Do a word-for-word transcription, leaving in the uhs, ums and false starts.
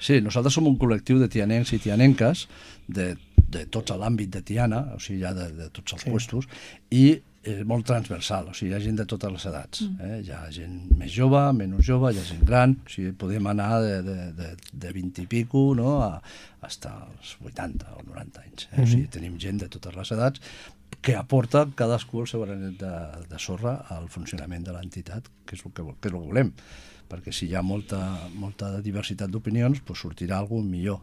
Sí, nosaltres som un col·lectiu de tianencs i tianenques de, de tots l'àmbit de Tiana, o sigui, ja de, de tots els sí. puestos, i és molt transversal, o sigui, hi ha gent de totes les edats. Eh? Hi ha gent més jove, menys jove, hi ha gent gran, o sigui, podem anar de, de, de, de vint i pico, no? a, hasta els vuitanta o noranta anys. Eh? Mm-hmm. O sigui, tenim gent de totes les edats que aporta cadascú el seu granet de, de sorra al funcionament de l'entitat, que és el que, que és el que volem. Perquè si hi ha molta, molta diversitat d'opinions, doncs sortirà alguna millor.